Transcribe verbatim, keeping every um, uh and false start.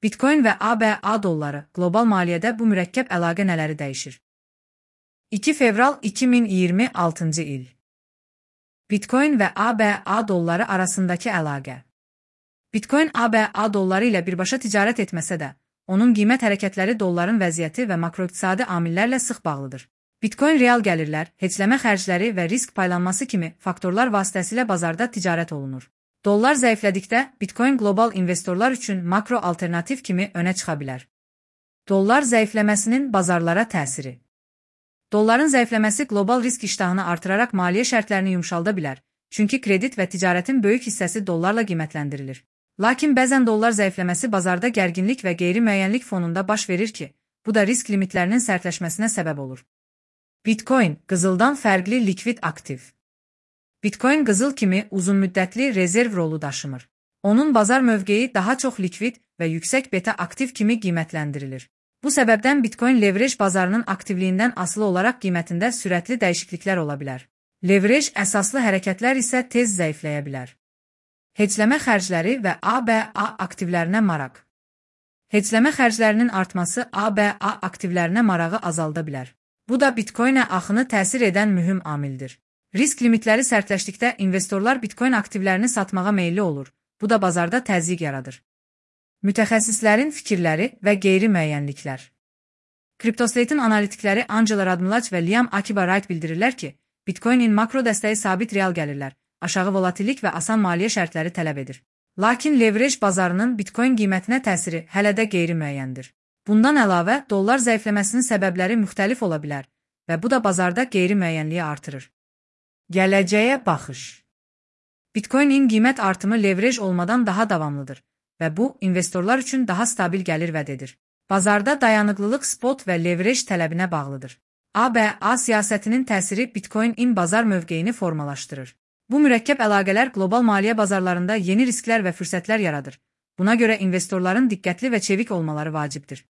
Bitcoin və A B A dolları qlobal maliyyədə bu mürəkkəb əlaqə nələri dəyişir? iki fevral iki min iyirmi altıncı il. Bitcoin və A B A dolları arasındakı əlaqə. Bitcoin A B A dolları ilə birbaşa ticarət etməsə də, onun qiymət hərəkətləri dolların vəziyyəti və makroiqtisadi amillərlə sıx bağlıdır. Bitcoin real gəlirlər, heçləmə xərcləri və risk paylanması kimi faktorlar vasitəsilə bazarda ticarət olunur. Dollar zəiflədikdə, Bitcoin qlobal investorlar üçün makro alternativ kimi önə çıxa bilər. Dollar zəifləməsinin bazarlara təsiri. Dolların zəifləməsi qlobal risk iştahını artıraraq maliyyə şərtlərini yumşalda bilər, çünki kredit və ticarətin böyük hissəsi dollarla qiymətləndirilir. Lakin bəzən dollar zəifləməsi bazarda gərginlik və qeyri-müəyyənlik fonunda baş verir ki, bu da risk limitlərinin sərtləşməsinə səbəb olur. Bitcoin, qızıldan fərqli likvid aktiv. Bitcoin qızıl kimi uzunmüddətli rezerv rolu daşımır. Onun bazar mövqeyi daha çox likvid və yüksək beta aktiv kimi qiymətləndirilir. Bu səbəbdən Bitcoin leverage bazarının aktivliyindən asılı olaraq qiymətində sürətli dəyişikliklər ola bilər. Leverage əsaslı hərəkətlər isə tez zəifləyə bilər. Heçləmə xərcləri və A B A aktivlərinə maraq. Heçləmə xərclərinin artması A B A aktivlərinə marağı azalda bilər. Bu da Bitcoinə axını təsir edən mühüm amildir. Risk limitləri sərtləşdikdə investorlar Bitcoin aktivlərini satmağa meyilli olur. Bu da bazarda təzyiq yaradır. Mütəxəssislərin fikirləri və qeyri-müəyyənliklər. CryptoSlate'in analitikləri Angela Radmilach və Liam Akiba Wright bildirirlər ki, Bitcoinin makro dəstəyi sabit real gəlirlər, aşağı volatillik və asan maliyyə şərtləri tələb edir. Lakin leverage bazarının Bitcoin qiymətinə təsiri hələ də qeyri-müəyyəndir. Bundan əlavə, dollar zəifləməsinin səbəbləri müxtəlif ola bilər və bu da bazarda qeyri-müəyyənliyi artırır. Gələcəyə baxış. Bitcoinin qiymət artımı leverage olmadan daha davamlıdır və bu, investorlar üçün daha stabil gəlir vəd edir. Bazarda dayanıqlılıq spot və leverage tələbinə bağlıdır. A B A siyasətinin təsiri Bitcoin-in bazar mövqeyini formalaşdırır. Bu mürəkkəb əlaqələr qlobal maliyyə bazarlarında yeni risklər və fürsətlər yaradır. Buna görə investorların diqqətli və çevik olmaları vacibdir.